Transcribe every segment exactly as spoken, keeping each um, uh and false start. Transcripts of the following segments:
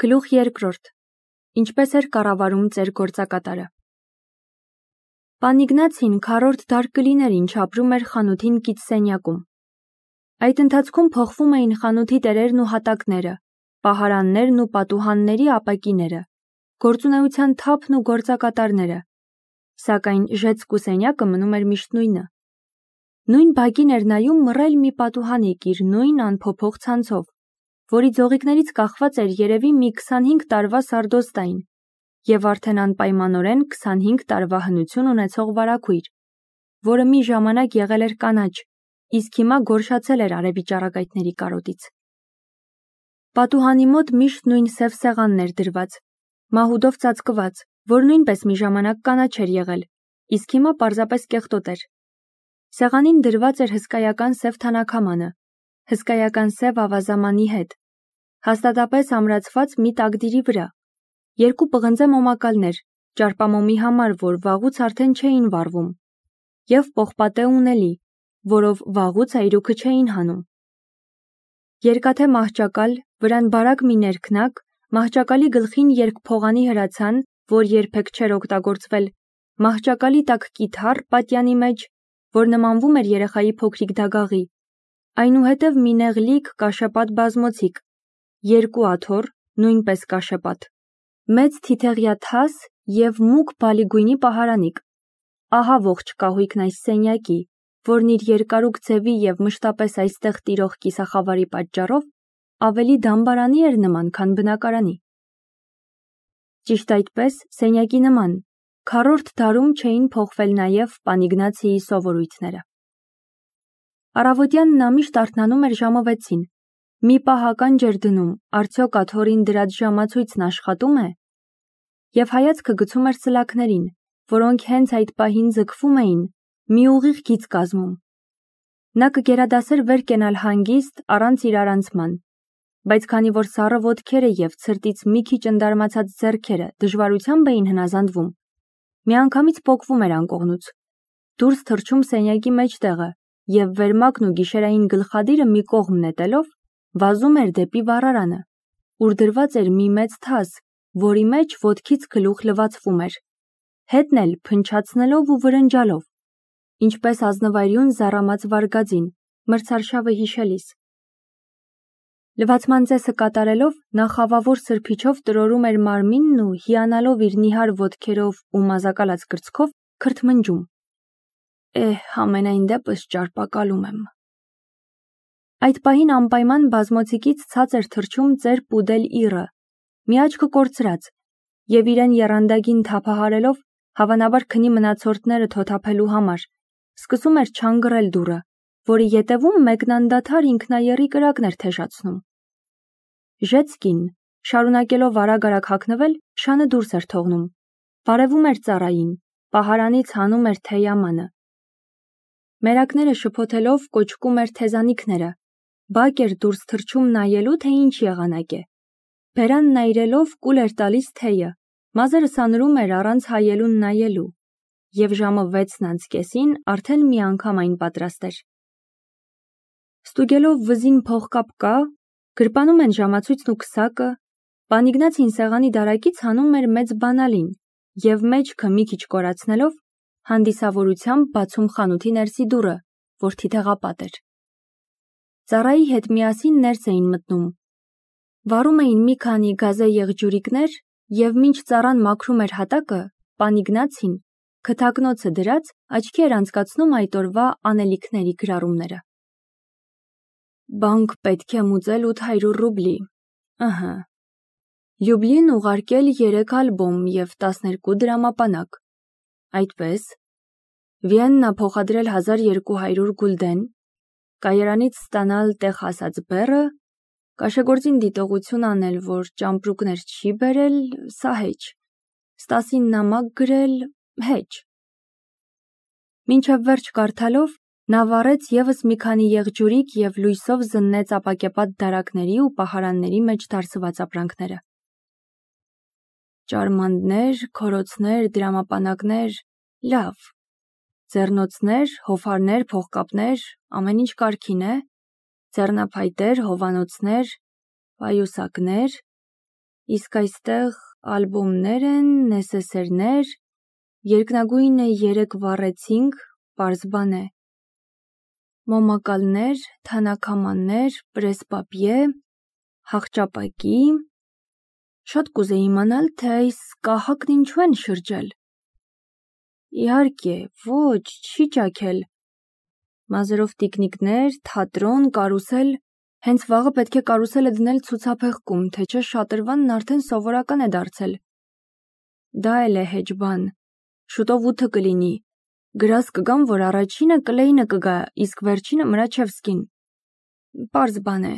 Գլուխ երկրորդ. Ինչպես էր կառավարում ծեր գործակատարը։ Պան Իգնացին քառորդ դար կլիներ, ինչ ապրում էր խանութին կից սենյակում։ Այդ ընթացքում փոխվում էին խանութի տերերն ու հատակները, պահարաններն ու պատուհանների ապակիները, գործունեության թափն ու գործակատարները, սակայն ժեցկու սենյակը մնում էր միշտ նույնը։ Նույն բակին էր նայում մռայլ մի պատուհանիկ իր նույն անփոփոխ ցանցով, որի ձողիկներից կախված էր երևի մի քսանհինգ տարվա սարդոստային և արդեն անպայմանորեն քսանհինգ տարվա հնություն ունեցող վարագույր, որը մի ժամանակ եղել էր կանաչ, իսկ հիմա գորշացել էր արևի ճառագայթների կարոտից։ Պատուհանի մոտ միշտ նույն սև սեղանն էր դրված, մահուդով ծածկված, որ նույնպես մի ժամանակ կանաչ էր եղել, իսկ հիմա պարզապես կեղտոտ էր։ Սեղանին դրված էր հսկայական սև թանաքամանը, հսկայական սև ավազամանի հետ, հաստատապես ամրացված մի տակդիրի վրա, երկու պղնձե մոմակալներ, ճարպամոմի համար, որ վաղուց արդեն չէին վառվում, և պողպատե ունելի, որով վաղուց այրուքը չէին հանում։ Երկաթե մահճակալ, վրան բարակ մի ներքնակ, մահճակալի գլխին երկփողանի հրացան, որ երբեք չէր օգտագործվել, մահճակալի տակ կիթառ պատյանի մեջ, որ նմանվում էր երեխայի փոքրիկ դագաղի, այնուհետև մի նեղլիկ կաշեպատ բազմոցիկ, երկու աթոռ, նույնպես կաշեպատ, մեծ թիթեղյա թաս և մուգ բալի գույնի պահարանիկ։ Ահա ողջ կահույքն այս սենյակի, որն իր երկարուկ ձևի և մշտապես այստեղ տիրող կիսախավարի պատճառով ավելի դամբարանի էր նման, քան բնակարանի։ Ճիշտ այդպես, սենյակի նման, քառորդ դարում չէին փոխվել նաև պան Իգնացիի սովորույթները։ Առավոտյան նա միշտ արթնանում էր ժամը վեցին, մի պահ ականջ էր դնում, արդյոք աթոռին դրած ժամացույցն աշխատում է, և հայացքը գցում էր սլաքներին, որոնք հենց այդ պահին ձգվում էին, մի ուղիղ գիծ կազմում։ Նա կգերադասեր վեր կենալ հանգիստ, առանց իրարանցման, բայց քանի որ սառը ոտքերը և ցրտից մի քիչ ընդարմացած ձեռքերը դժվարությամբ էին հնազանդվում, միանգամից պոկվում էր անկողնուց, դուրս թռչում սենյակի մեջտեղը և վերմակն ու գիշերային գլխադիրը մի կողմ նետելով, վազում էր դեպի վառարանը, ուր դրված էր մի մեծ թաս, որի մեջ ոտքից գլուխ լվացվում էր, հետն էլ փնչացնելով ու վրնջալով, ինչպես ազնվայրյուն զառամած վարգածին, մրցարշավը հիշելիս։ Լվացման ծեսը կատարելով, նա խավավոր սրբիչով տրորում էր մարմինն ու հիանալով իր նիհար ոտքերով ու մազակալած կրծքով քրթմնջում. «Էհ, համենայն դեպս ճարպակալում եմ»։ Այդ պահին անպայման բազմոցիկից ցած էր թռչում ծեր Պուդել Իռը, մի աչքը կորցրած, և իրեն եռանդագին թափահարելով, հավանաբար քնի մնացորդները թոթափելու համար, սկսում էր չանգռել դուռը, որի ետևում մեկն անդադար ինքնաեռի կրակն էր թեշացնում։ Ժեցկին, շարունակելով արագ-արագ հագնվել, շանը դուրս էր թողնում, բարևում էր ծառային, պահարանից հանում էր թեյամանը։ Մերակները շփոթելով կոճկում էր թեզանիքները, բակ էր դուրս թռչում նայելու, թե ինչ եղանակ է։ Բերանն այրելով կուլ էր տալիս թեյը, մազերը սանրում էր առանց հայելուն նայելու, և ժամը վեցն անց կեսին արդեն մի անգամ այն պատրաստ էր։ Ստուգելով վզին փողկապ կա, գրպանում են ժամացույցն ու քսակը, պան Իգնացին սեղանի դարակից հանում էր մեծ բանալին և մեջքը մի քիչ կորացնելով, հանդիսավորությամբ բացում խանութի ներսի դուռը, որ թիթեղապատ էր։ Ծառայի հետ միասին ներս էին մտնում, վառում էին մի քանի գազե եղջյուրիկներ և մինչ ծառան մաքրում էր հատակը, պան Իգնացին, քթակնոցը դրած, աչքի էր անցկացնում այդ օրվա անելիքների գրառումները։ Բանկ պետք է մուծել ութ հարյուր ռուբլի, ըհը, Լյուբլին ուղարկել երեք ալբոմ և տասներկու դրամապանակ, այդպես, Վիեննա փոխադրել հազար երկու հարյուր գուլդեն, կայարանից ստանալ տեղ հասած բեռը, կաշեգործին դիտողություն անել, որ ճամպրուկներ չի բերել, սա հեչ, Ստասին նամակ գրել, հեչ։ Մինչև վերջ կարդալով, նա վառեց ևս մի քանի եղջյուրիկ և լույսով զննեց ապակեպատ դարակների ու պահարանների մեջ դարսված ապրանքները։ Ճարմանդներ, քորոցներ, դրամապանակներ, լավ, ձեռնոցներ, հովհարներ, փողկապներ, ամեն ինչ կարգին է, ձեռնափայտեր, հովանոցներ, պայուսակներ, Իսկ այստեղ ալբոմներ են, նեսեսերներ, երկնագույնը երեք վառեցինք, պարզ բան է։ Մոմակալներ, թանաքամաններ, պրեսպապիե, հաղճապակի։ Շատ կուզեի իմանալ, թե այս կահակն ինչու են շրջել։ Իհարկե, ոչ, չի ճաքել։ Մազերով տիկնիկներ, թատրոն, կարուսել։ Հենց վաղը պետք է կարուսելը դնել ցուցափեղկում, թե չէ շատրվանն արդեն սովորական է դարձել։ Դա էլ է հեչ բան։ Շուտով ութը կլինի։ Գրազ կգամ, որ առաջինը Կլեյնը կգա, իսկ վերջինը Մրաչևսկին։ Պարզ բան է։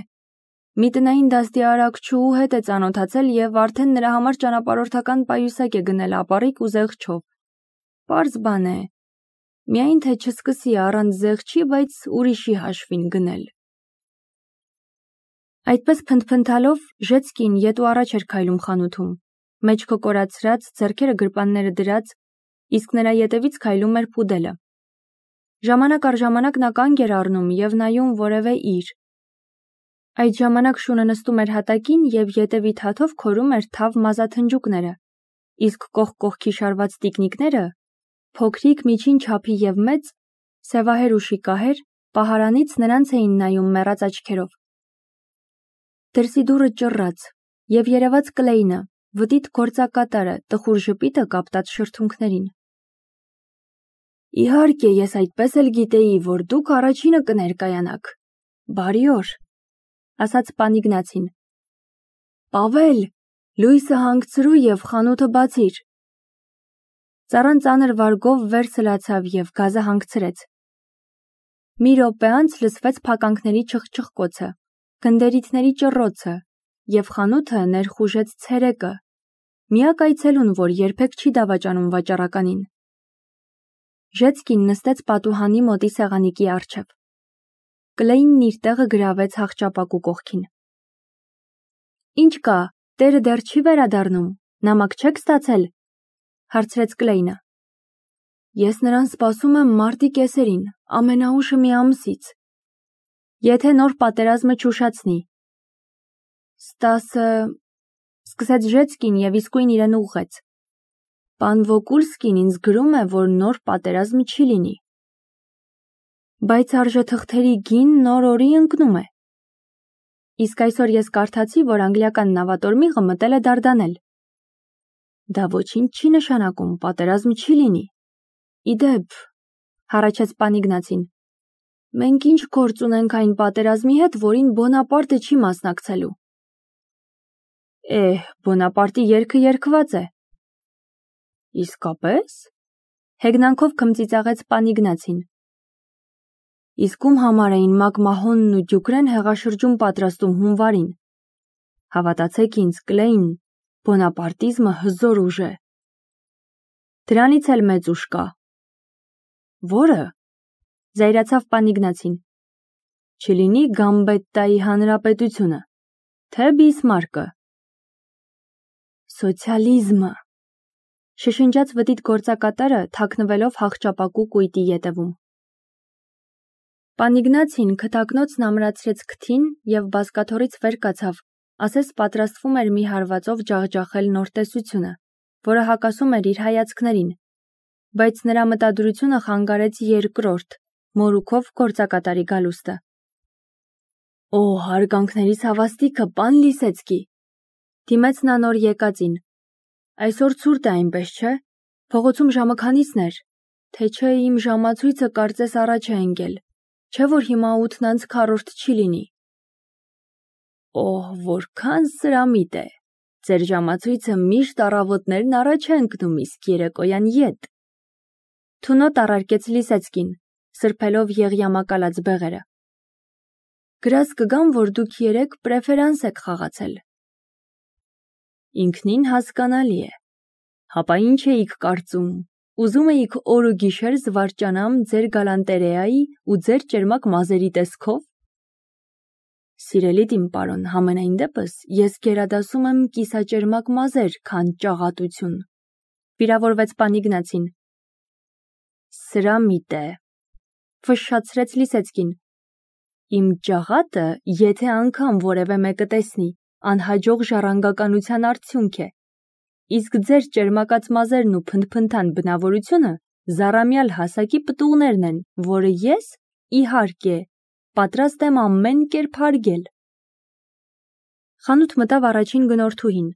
Մի տնային դաստի արակչուհու հետ է ծանոթացել եւ արդեն նրա համար ճանապարհորդական պայուսակ է գնել ապառիկ ու զեղչով։ Պարզ բան է։ Միայն թե չսկսի առանց զեղչի, բայց ուրիշի հաշվին գնել։ Այդպես փնթփնթալով Ժեցկին ետ ու առաջ էր քայլում խանութում, մեջքը կորացրած, ձեռքերը գրպանները դրած, իսկ նրա ետևից քայլում էր Փուդելը։ Ժամանակ առ ժամանակ նա կանգ էր առնում եւ նայում որևէ իր։ Այդ ժամանակ շունը նստում էր հատակին եւ ետևի թաթով քորում էր թավ մազաթնջուկները, իսկ կողք կողքի շարված տիկնիկները, փոքրիկ, միջին չափի եւ մեծ, սևահեր ու շիկահեր, պահարանից նրանց էին նայում մեռած աչքերով։ Դրսի դուռը ճռռաց, եւ երևաց Կլեյնը, վտիտ գործակատարը, տխուր ժպիտը կապտած շրթունքներին։ Իհարկե, ես այդպես էլ գիտեի, որ դուք առաջինը կներկայանաք։ Բարի օր, ասաց պան Իգնացին։ Պավել, լույսը հանգցրու եւ խանութը բացիր։ Ծառան ծանր վարգով վեր սլացավ եւ գազը հանգցրեց։ Մի րոպե անց լսվեց փականքների չխչխկոցը, գնդերիթների ճռռոցը եւ խանութը ներխուժեց ցերեկը, միակ այցելուն, որ երբեք չի դավաճանում վաճառականին։ Ժեցկին նստեց պատուհանի մոտի սեղանիկի առջև։ Կլեյնն իր տեղը գրավեց հաղճապակու կողքին։ Ինչ կա, տերը դեռ չի վերադառնում, նամակ չեք ստացել, հարցրեց Կլեյնը։ Ես նրան սպասում եմ մարտի կեսերին, ամենաուշը մի ամսից։ Եթե նոր պատերազմը չուշացնի։ Ստասը, սկսեց Ժեցկին եւ իսկույն իրեն ուղղեց։ Պան Վոկուլսկին ինձ գրում է, որ նոր պատերազմ չի լինի։ Բայց արժեթղթերի գին նոր օրի ընկնում է։ Իսկ այսօր ես կարդացի, որ անգլիական նավատորմիղը մտել է Դարդանել։ Դա ոչինչ չի նշանակում, պատերազմ չի լինի։ Իդեպ, հառաչեց պան Իգնացին, մենք ինչ գործ ունենք այն պատերազմի հետ, որին Բոնապարտը չի մասնակցելու։ Էհ, Բոնապարտի երգը երգված է։ Իսկապես։ Հեգնանքով քմծիծաղեց պան Իգնացին։ Իսկ ում համար էին Մակմահոնն ու Դյուկրեն հեղաշրջում պատրաստում հունվարին։ Հավատացեք ինձ, Կլեյն, բոնապարտիզմը հզոր ուժ է։ Դրանից էլ մեծ ուժ կա։ Որը։ Զայրացավ պան Իգնացին։ Չլինի Գամբետտայի հանրապետությունը, թե Բիսմարկը։ Սոցիալիզմը։ Շշնջաց վտիտ գործակատարը, թաքնվելով հաղճապակու կույտի ետևում։ Պան Իգնացին քթակնոցն ամրացրեց քթին եւ բազկաթոռից վեր կացավ, ասես պատրաստվում էր մի հարվածով ջախջախել նոր տեսությունը, որը հակասում էր իր հայացքներին, բայց նրա մտադրությունը խանգարեց երկրորդ, մորուքով գործակատարի գալուստը։ Օ, հարգանքներիս հավաստիքը, պան Լիսեցկի, դիմեց նա նոր եկածին։ Այսօր ցուրտ է այնպես, չէ՞։ Փողոցում ժամը քանիսն էր, թե չէ իմ ժամացույցը կարծես առաջ է ընկել, չէ՞ որ հիմա ութն անց քառորդ չի լինի։ Օհ, որքան սրամիտ է։ Ձեր ժամացույցը միշտ առավոտներն առաջ է ընկնում, իսկ երեկոյան ետ։ Թունոտ առարկեց Լիսեցկին, սրբելով եղյամակալած բեղերը։ Գրազ կգամ, որ դուք երեք պրեֆերանս եք խաղացել։ Ինքնին հասկանալի է։ Հապա ինչ էիք կարծում, ուզում էիք օր ու գիշեր զվարճանամ ձեր գալանտերեայի ու ձեր ճերմակ մազերի տեսքով։ Սիրելի իմ պարոն, համենայն դեպս ես գերադասում եմ կիսաճերմակ մազեր, քան ճաղատություն, վիրավորվեց պան Իգնացին։ Սրամիտ է, ֆշշացրեց Լիսեցկին։ Իմ ճաղատը, եթե անգամ որևէ մեկը տեսնի, անհաջող ժառանգականության արդյունք է, իսկ ձեր ճերմակած մազերն ու փնթփնթան բնավորությունը զառամյալ հասակի պտուղներն են, որը ես, իհարկե, պատրաստ եմ ամեն կերպ հարգել։ Խանութ մտավ առաջին գնորդուհին,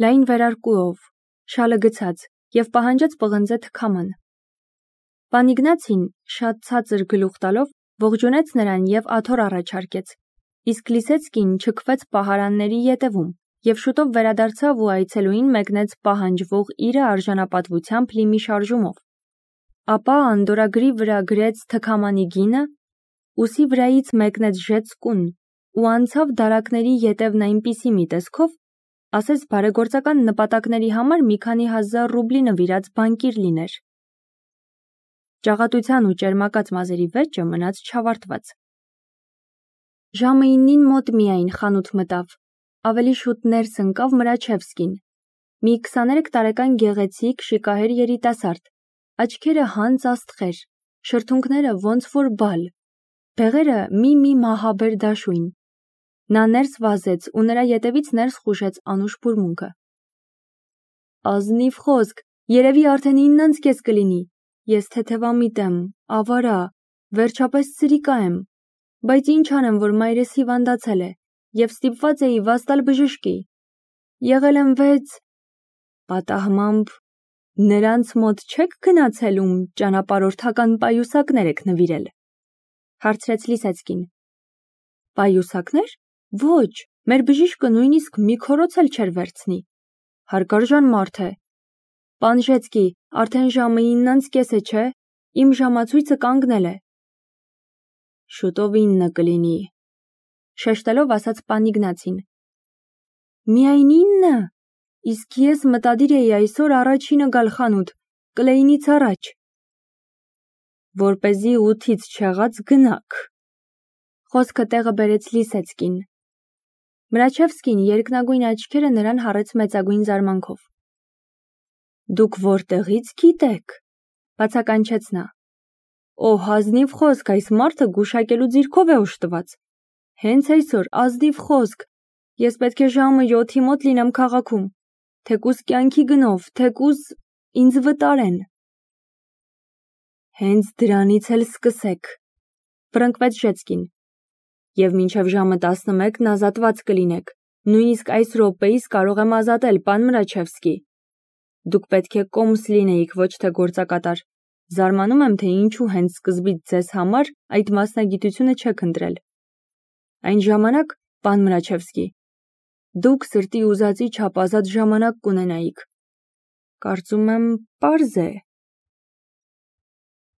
լայն վերարկուով, շալը գցած և պահանջեց պղնձե թքաման։ Պան Իգնացին, շատ ցածր գլուխ տալով, ողջունեց նրան և աթոռ առաջարկեց, իսկ Լիսեցկին չքվեց պահարանների ետևում և շուտով վերադարձավ ու այցելուին մեկնեց պահանջվող իրը արժանապատվությամբ լի մի շարժումով, ապա անդորրագրի վրա գրեց թքամանի գինը, ուսի վրայից մեկնեց ժեծկուն ու անցավ դարակների ետևն այնպիսի մի տեսքով, ասես բարեգործական նպատակների համար մի քանի հազար ռուբլի նվիրած բանկիր լիներ։ Ճաղատության ու ճերմակած մազերի վեճը մնաց չավարտված։ Ժամը իննին մոտ միայն խանութ մտավ, ավելի շուտ ներս ընկավ Մրաչևսկին, մի քսաներեք տարեկան գեղեցիկ շիկահեր երիտասարդ, աչքերը հանծ աստղեր, շրթունքները ոնց որ բալ, բեղերը մի-մի մահաբեր դաշույն։ Նա ներս վազեց ու նրա ետևից ներս խուժեց անուշ բուրմունքը։ Ազնիվ խոսք, երևի արդեն ինն անց կես կլինի, ես թեթևամիտ եմ, ավարա, վերջապես սրիկա եմ, բայց ինչ անեմ, որ մայրս հիվանդացել է և ստիպված էի վաստալ բժշկի, եղել եմ վեց… Պատահմամբ նրանց մոտ չեք գնացել, ում ճանապարհորդական պայուսակներ եք նվիրել, հարցրեց Լիսեցկին։ Պայուսակներ, ոչ, մեր բժիշկը նույնիսկ մի քորոց էլ չէր վերցնի, հարգարժան մարդ է։ Պան Ժեցկի, արդեն ժամը ինն անց կես է, չէ, իմ ժամացույցը կանգնել է։ Շուտով ինը կլինի, շեշտելով ասաց պան Իգնացին։ Միայն ինը, իսկ ես մտադիր էի այսօր առաջինը գալ խանութ, կլեյնից առաջ։ Որպեսզի ութից չեղած գնաք։ Խոսքը տեղը բերեց Լիսեցկին։ Մրաչևսկին երկնագույն աչքերը նրան հառեց մեծագույն զարմանքով։ Դուք որտեղից գիտեք, բացականչեց նա։ Օհ, ազնիվ խոսք, այս մարդը գուշակելու ձիրքով է օժտված։ Հենց այսօր, ազնիվ խոսք, ես պետք է ժամը յոթի մոտ լինեմ քաղաքում, թեկուզ կյանքի գնով, թեկուզ ինձ վտարեն։ Հենց դրանից էլ սկսեք, ֆրնկվեց Ժեցկին, և մինչև ժամը տասնմեկն ազատված կլինեք, նույնիսկ այս րոպեիս կարող եմ ազատել, պան Մրաչևսկի։ Դուք պետք է կոմս լինեիք, ոչ թե գործակատար, զարմանում եմ, թե ինչու հենց սկզբից ձեզ համար այդ մասնագիտությունը չեք ընտրել։ Այն ժամանակ, պան Մրաչևսկի, դուք սրտի ուզածի չափ ազատ ժամանակ կունենայիք։ Կարծում եմ, պարզ է,